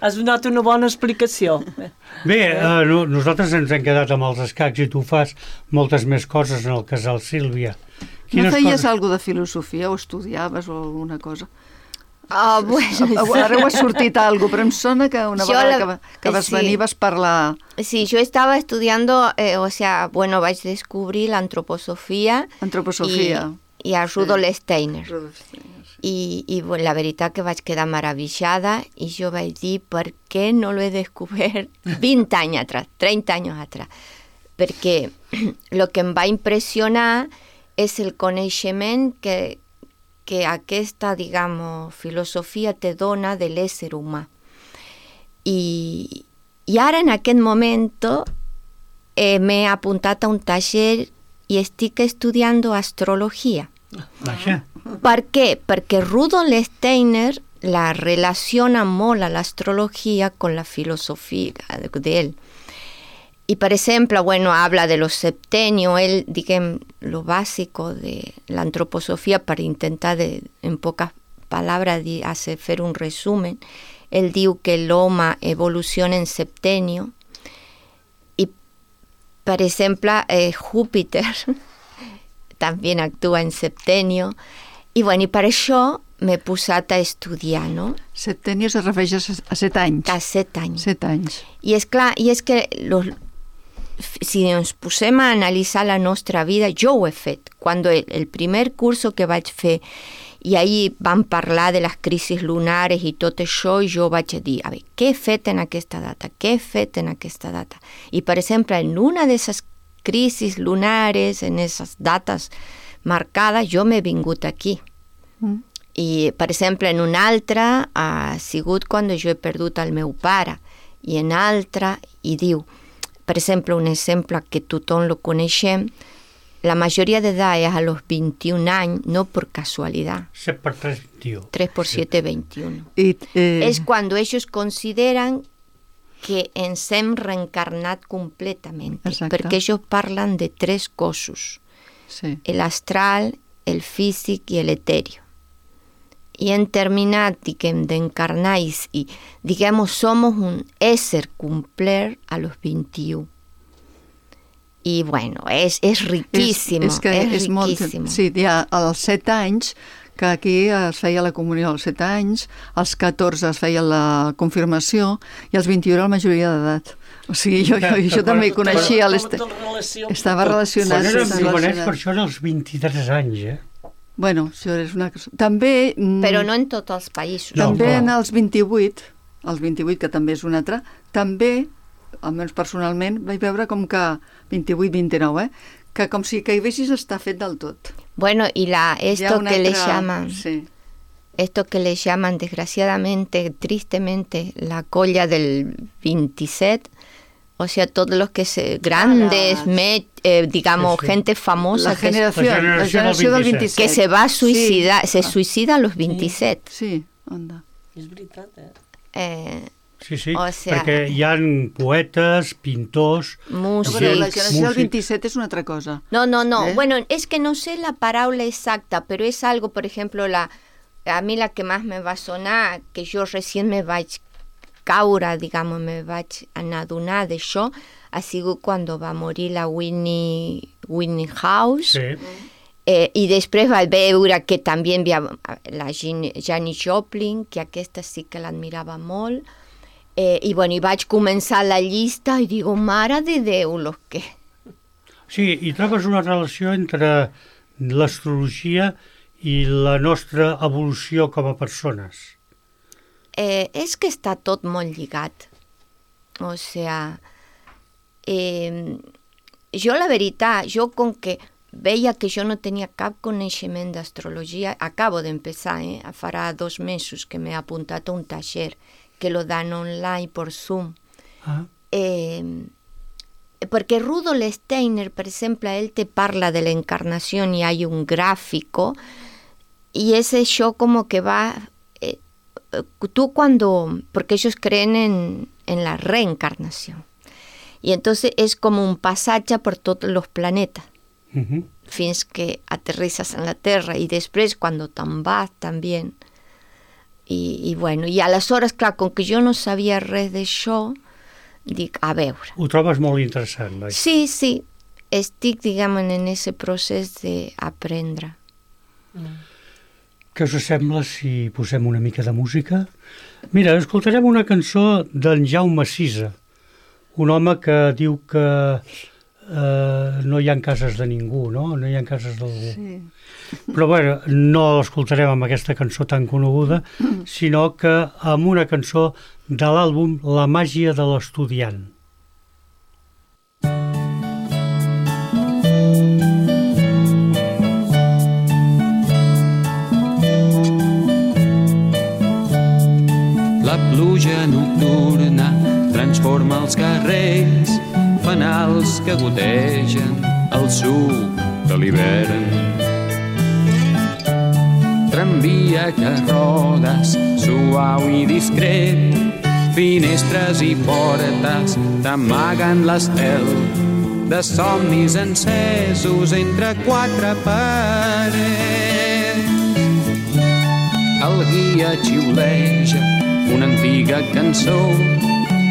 Has donat una bona explicació. Bé, nosaltres ens hem quedat amb els escacs i tu fas moltes més coses en el casal Sílvia. No feies alguna de filosofia o estudiaves o alguna cosa? Bueno, Ara ho ha sortit algo, però em sona que una vegada que vas venir vas parlar... Sí, yo estaba estudiando, vaig descobrir la antroposofia i a Rudolf Steiner. I la veritat que vaig quedar maravillada i jo vaig dir, per què no lo he descobert 20 anys atrás, 30 anys atrás? Perquè lo que em va impressionar és el coneixement que aquesta, filosofia te dona de l'ésser humà. I ara, en aquest moment, m'he apuntat a un taller i estic estudiant astrologia. Vaja. Per què? Perquè Rudolf Steiner la relaciona molt a l'astrologia con la filosofia de él. Y, por ejemplo, habla de los septenios, él, lo básico de la antroposofía, para intentar, en pocas palabras, hacer un resumen. Él dice que el hombre evoluciona en septenio. Y, por ejemplo, Júpiter también actúa en septenio. Y bueno, y para això m'he posat a estudiar, no? Septenio se refereix a 7 anys. A 7 anys. 7 anys. I és clar, que si ens posem a analitzar la nostra vida, jo ho he fet. Quan el primer curso que vaig fer, i ahir vam parlar de les crisis lunares i tot això, i jo vaig dir, a veure, què he fet en aquesta data? Què he fet en aquesta data? I, per exemple, en una d'aquestes crisis lunares, en aquestes dates marcades, jo m'he vingut aquí. I, per exemple, en una altra ha sigut quan jo he perdut el meu pare, i en altra, i diu, per exemple, un exemple que tothom lo coneixem, la majoria d'edat és a los 21 anys, no per casualidad. 7 por 3, 21. 3 por 7, 21. Es cuando ellos consideran que ens hem reencarnat completament, perquè ells parlen de 3 cossos, sí. El astral, el físic i el etéreo. Y en terminat, d'encarnar y, somos un ésser complet a los 21. Y bueno, es riquísimo, és riquísimo. Sí, hi ha als 7 anys, que aquí es feia la comunió als 7 anys, als 14 es feia la confirmació i als 21 la majoria d'edat. O sigui, jo també coneixia... Estava relacionat. Quan érem jovenets, per això als 23 anys, Bueno, això és una cosa... També... Però no en tots els països. També en els 28, que també és un altre, també, almenys personalment, vaig veure com que 28-29, que com si caiguessis està fet del tot. Bueno, y esto que le llaman... Sí. Esto que le llaman, desgraciadamente, tristemente, la colla del 27... O sea, todos los que grandes, gente famosa, la generació del 27. Que se va a suicidar, se suicida a los 27. Sí, anda. És veritat, Sí, perquè hi ha poetes, pintors... Músics... La generació del 27 és una altra cosa. No. Bueno, es que no sé la paraula exacta, pero es algo, por ejemplo, a mí la que más me va a sonar, que yo recién me vaig caure, me vaig adonar d'això, ha sigut quan va morir la Whitney House, i després vaig veure que també hi havia la Janis Joplin, que aquesta sí que l'admirava molt, i vaig començar la llista i digo, mare de Déu, los que... Sí, i trobes una relació entre l'astrologia i la nostra evolució com a persones. És que està tot molt lligat. O sea, jo la veritat, com que veia que jo no tenia cap coneixement d'astrologia, acabo d'empezar, farà 2 mesos que m'he apuntat a un taller que lo dan online por Zoom. Porque Rudolf Steiner, por ejemplo, él te parla de la encarnación y hay un gráfico y ese show como que va tú porque ellos creen en la reencarnación. Y entonces es como un pasaje por todos los planetas. Fins que aterrizas en la Terra i després quan te'n vas també. I bueno, i aleshores, clar, com que jo no sabia res d'això, dic, a veure. Ho trobes molt interessant, oi? Sí, estic, diguem, en aquest procés d'aprendre. Què us sembla si posem una mica de música? Mira, escoltarem una cançó d'en Jaume Sisa, un home que diu que no hi ha cases de ningú, no? No hi ha cases d'algú. Sí. Però bueno, no l'escoltarem amb aquesta cançó tan coneguda, sinó que amb una cançó de l'àlbum La màgia de l'estudiant. La pluja nocturna transforma els carrers, fanals que gotegen el suc de l'hivern. Tramvia que rodes, suau i discret, finestres i portes t'amaguen l'estel de somnis encesos entre quatre parets. El guia xiuleja una antiga cançó,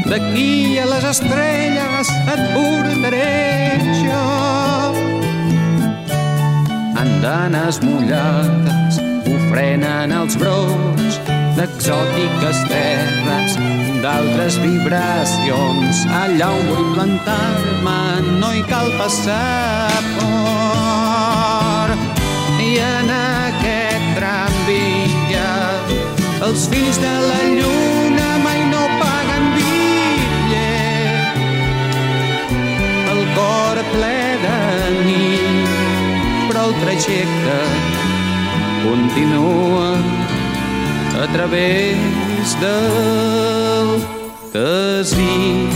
d'aquí a les estrelles et portaré jo. Andanes mullades ofrenen els brots d'exòtiques terres, d'altres vibracions. Allà on vull plantar-me no hi cal passaport. I en aquest tramvia els fills de la lluna mai no paguen bitllet. El cor ple de nit, però el trajecte continua a través del desig.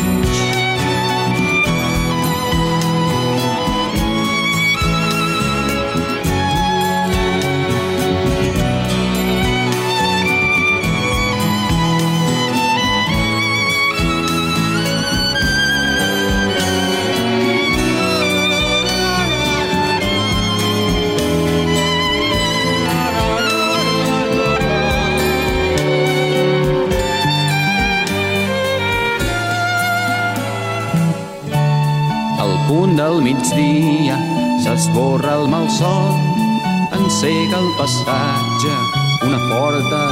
Del migdia s'esborra el malson, encega el passatge una forta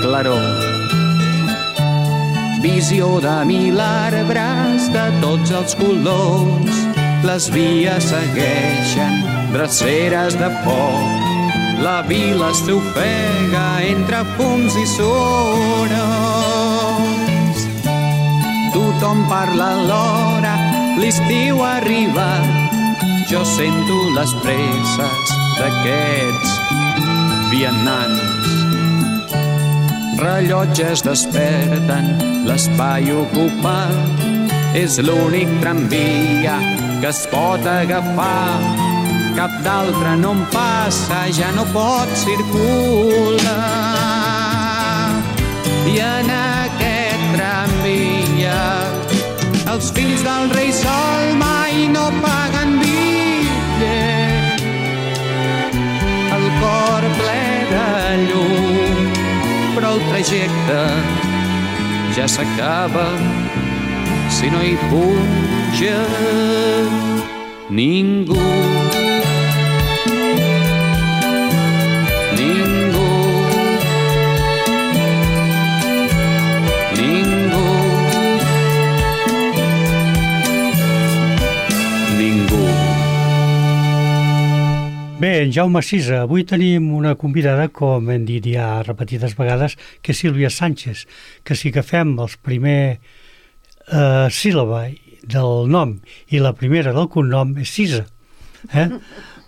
claror. Visió de 1000 arbres de tots els colors, les vies segueixen dreceres de foc. La vila s'ofega entre fums i sorolls. Tothom parla alhora, l'estiu ha arribat, jo sento les presses d'aquests vianants. Rellotges desperten l'espai ocupat, és l'únic tramvia que es pot agafar. Cap d'altre no em passa, ja no pot circular. I en aquest tramvia els fills del rei Sol mai no paguen bitllet. El cor ple de llum, però el trajecte ja s'acaba si no hi puja ningú. Bé, en Jaume Sisa, avui tenim una convidada, com hem dit ja repetides vegades, que és Sílvia Sánchez, que si agafem els primer síl·laba del nom i la primera del cognom és Sisa.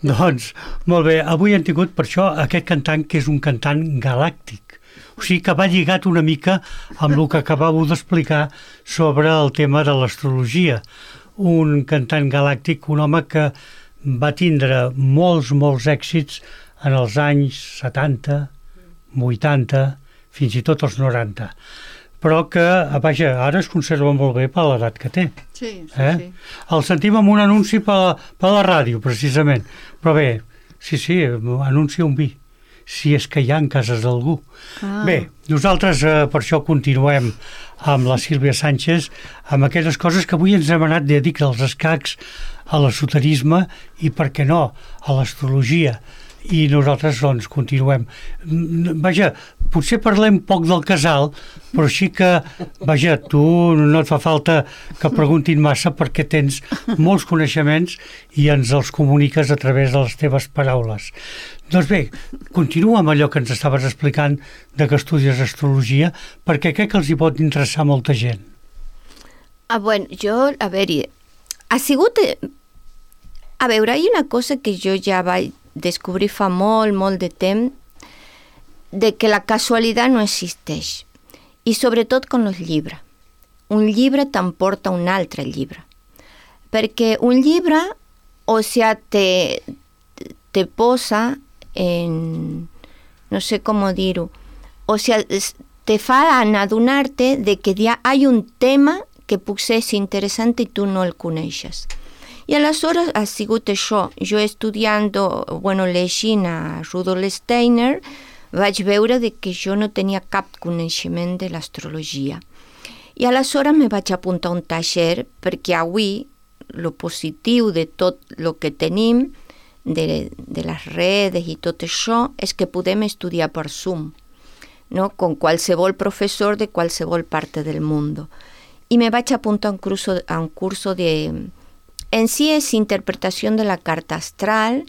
Doncs, molt bé, avui hem tingut per això aquest cantant que és un cantant galàctic. O sigui que va lligat una mica amb el que acabàveu d'explicar sobre el tema de l'astrologia. Un cantant galàctic, un home que va tindre molts èxits en els anys 70, 80, fins i tot als 90. Però que, vaja, ara es conserva molt bé per l'edat que té. Sí. El sentim amb un anunci per la ràdio, precisament. Però bé, sí, anuncia un vi, si és que hi ha en cases d'algú. Bé, nosaltres per això continuem amb la Sílvia Sánchez, amb aquelles coses que avui ens hem anat de dir, als escacs, a l'esoterisme i, per què no, a l'astrologia. I nosaltres, doncs, continuem. Vaja, potser parlem poc del casal, però sí que, vaja, tu no et fa falta que preguntin massa perquè tens molts coneixements i ens els comuniques a través de les teves paraules. Doncs bé, continua amb allò que ens estaves explicant de que estudies astrologia, perquè crec que els hi pot interessar molta gent. Bueno, jo, a veure, ha sigut... A veure, hi ha una cosa que jo ja vaig descobrir fa molt de temps, de que la casualitat no existeix. I sobretot con els llibres. Un llibre t'emporta un altre llibre. Perquè un llibre, o sigui, te posa en... no sé com dir-ho. O sigui, te fa adonar-te de que ja hi ha un tema que potser és interessant i tu no el coneixes. I aleshores ha sigut això. Jo llegint a Rudolf Steiner, vaig veure que jo no tenia cap coneixement de l'astrologia. I aleshores me vaig apuntar a un taller, perquè avui el positiu de tot el que tenim, de les redes i tot això, és que podem estudiar per Zoom, no? Con qualsevol professor de qualsevol part del món. I me vaig apuntar a un curso de... En sí és interpretació de la carta astral,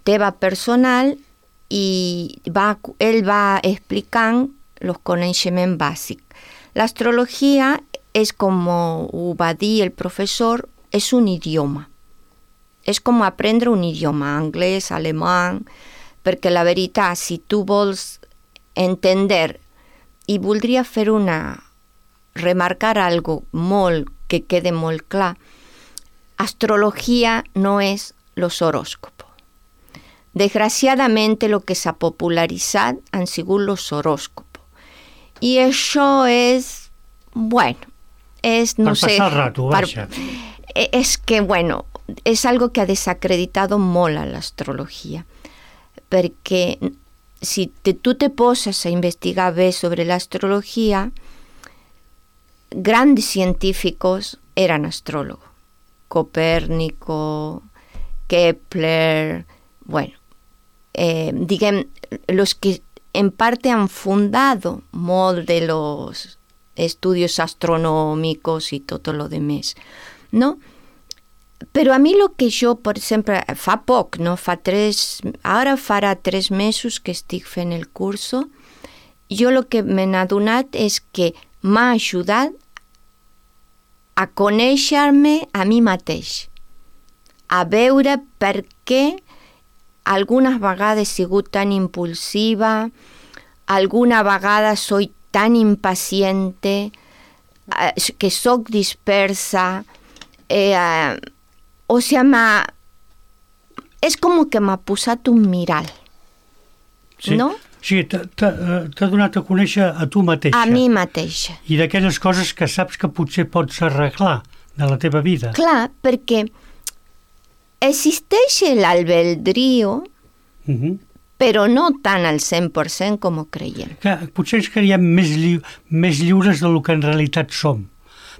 teva personal, i ell va explicant els coneixements bàsics. L'astrologia és, com ho va dir el professor, és un idioma. És com aprendre un idioma, anglès, alemany, perquè la veritat, si tu vols entendre i voldria remarcar algo molt, que quede molt clar, astrología no es los horóscopos. Desgraciadamente lo que s'ha popularitzat han sigut los horóscopos. I això és, és, no sé... Per passar el rato, vaja. És que, és algo que ha desacreditado molt a l'astrologia. Perquè si tu te poses a investigar bé sobre l'astrologia, grandes científicos eran astrólogos. Copérnico, Kepler, diguem, los que en parte han fundado molt de los estudios astronómicos y todo lo demás, ¿no? Però a mi lo que jo, per exemple, fa poc, no? Ara farà 3 mesos que estic fent el curso, jo lo que m'he adonat és que m'ha ajudat a conèixer-me a mi mateix, a veure per què algunes vegades he sigut tan impulsiva, alguna vegada soy tan impaciente, que soc dispersa, o sigui, és com que m'ha posat un mirall, sí. No? Sí, t'ha donat a conèixer a tu mateixa. A mi mateixa. I d'aquelles coses que saps que potser pots arreglar de la teva vida. Clar, perquè existeix l'albedrío, però no tant al 100% com ho creiem. Que potser ens creiem més lliures del que en realitat som,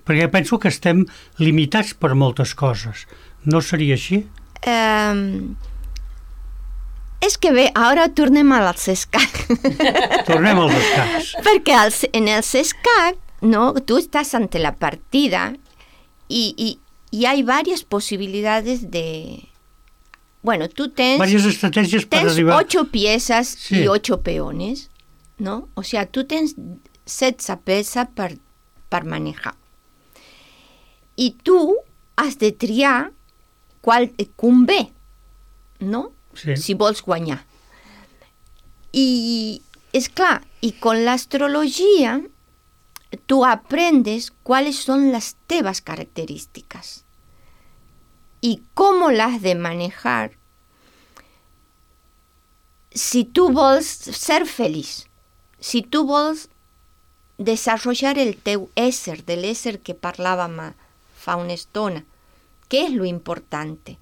perquè penso que estem limitats per moltes coses. No seria així? És que bé, ara tornem als escacs. Tornem als escacs. Perquè en els escacs, no, tu estàs ante la partida y hay varias posibilidades de... tú tens... Varias estrategias para arribar... 8 piezas sí. Y 8 peones, ¿no? O sea, tu tens 16 peces per manejar. I tu has de triar qual et convé, no? Sí. Si vols guanyar. I, és clar, i con l'astrologia tu aprendes cuáles son las tebas características y cómo las de manejar si tu vols ser feliç, si tu vols desenvolupar el teu ésser, de l'ésser que parlàvem fa una estona, què és lo importante?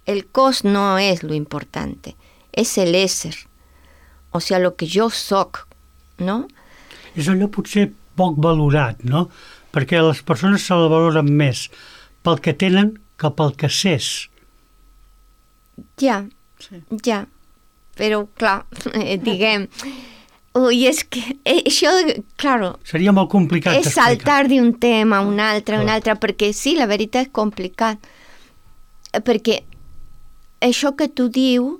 El cos no és lo importante, és el ésser, o sigui, lo que jo soc, no? És allò potser poc valorat, no? Perquè les persones se la valoren més pel que tenen que pel que s'és. Ja, però clar, diguem, ui, és que això, claro, Seria molt complicat és d'explicar. saltar d'un tema a un altre, perquè sí, la veritat és complicat, perquè això que tu dius,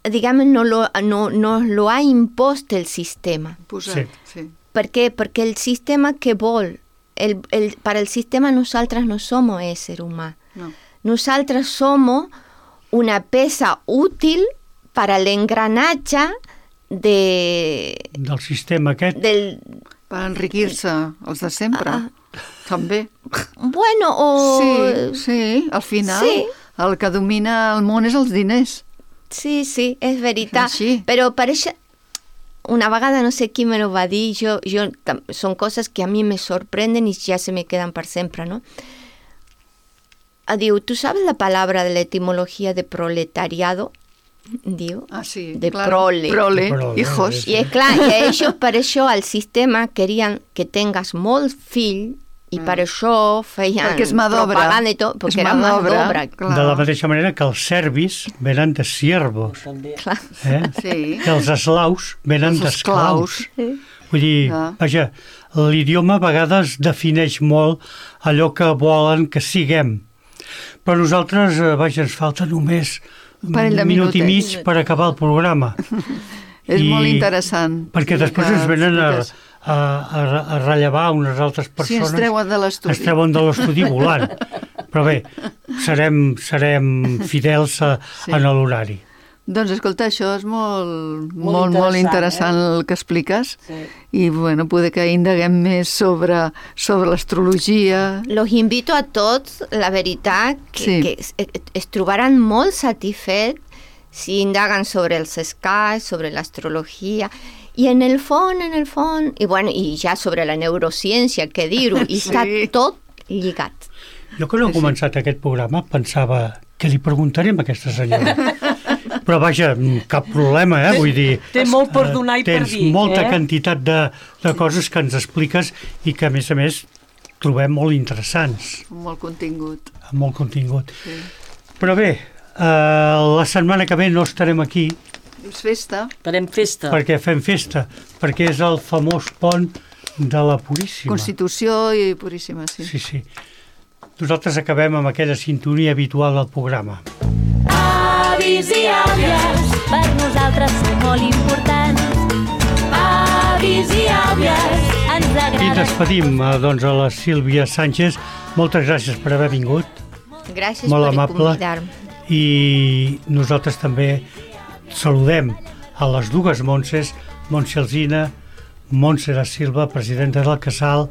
diguem, no lo ha impost el sistema. Posat, sí. ¿Por qué? Porque el sistema que vol, para el sistema nosaltres no somos ésser humà. No. Nosaltres somos una peça útil para l'engranatge del sistema aquest. Per enriquir-se els de sempre, també. Bueno, o... Sí, al final Sí. el que domina el món és els diners. Sí, és veritat. Així. Però per això, una vegada no sé qui me lo va dir, són coses que a mi me sorprenden i ja se me quedan per sempre, ¿no? Diu, ¿tú sabes la palabra de la etimología de proletariado? Diu, Ah, sí, de claro. prole. Prole, Prole, hijos. sí. I és clar, i ells per això al sistema querien que tengues molt fill i per això feien Perquè és mà d'obra. propaganda i tot, És perquè era mà mà d'obra, d'obra. clar. De la mateixa manera que els serbis venen de siervos, També. Sí. que els eslaus venen Els d'esclaus. esclaus. Vull dir, Ah. vaja, l'idioma a vegades defineix molt allò que volen que siguem. Però nosaltres, vaja, ens falta només Un parell de un minut i mig minutets. per acabar el programa. És I- molt interessant. Perquè després Que ens venen expliques. a rellevar unes altres Sí, persones. ens treuen de l'estudi. Ens treuen de l'estudi volant. Però bé, serem fidels en l'horari. Doncs escolta, això és molt interessant, interessant el que expliques. Sí. I bueno, poder que indaguem més sobre l'astrologia. Los invito a tots, la veritat, Sí. que es trobaran molt satisfets si indaguen sobre els escacs, sobre l'astrologia, i en el fons, i bueno, i ja sobre la neurociència, què dir-ho, i Sí. està tot lligat. Jo que no he començat aquest programa pensava que li preguntarem a aquesta senyora. Però vaja, cap problema, vull dir... Té molt per donar i per tens dir. molta quantitat de coses que ens expliques i que, a més, trobem molt interessants, Molt contingut. amb molt contingut. Sí. Però bé, la setmana que ve no estarem aquí És festa. Farem festa. perquè fem festa, perquè és el famós pont de la Puríssima. Constitució i Puríssima, sí. Sí. Nosaltres acabem amb aquella sintonia habitual del programa. Avis i àvies, per nosaltres sou molt importants. Avis i àvies, ens I agrada. despedim doncs, a la Sílvia Sánchez. Moltes gràcies per haver vingut, Gràcies molt per amable. convidar-me. I nosaltres també saludem a les dues Montses, Montse Alsina, Montse da Silva, presidenta del Casal,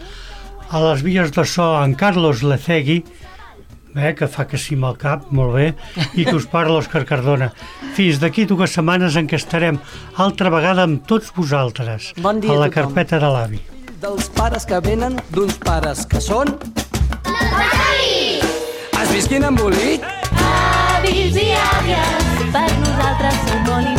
a les vies de so en Carlos Lecegui, que fa que sí amb el cap, molt bé, i que us parla Òscar Cardona. Fins d'aquí 2 setmanes en què estarem altra vegada amb tots vosaltres, Bon dia a a la tothom. carpeta de l'avi. Dels pares que venen, d'uns pares que són... Es visquin embolit? Avis i àvies, per nosaltres sou molt importants.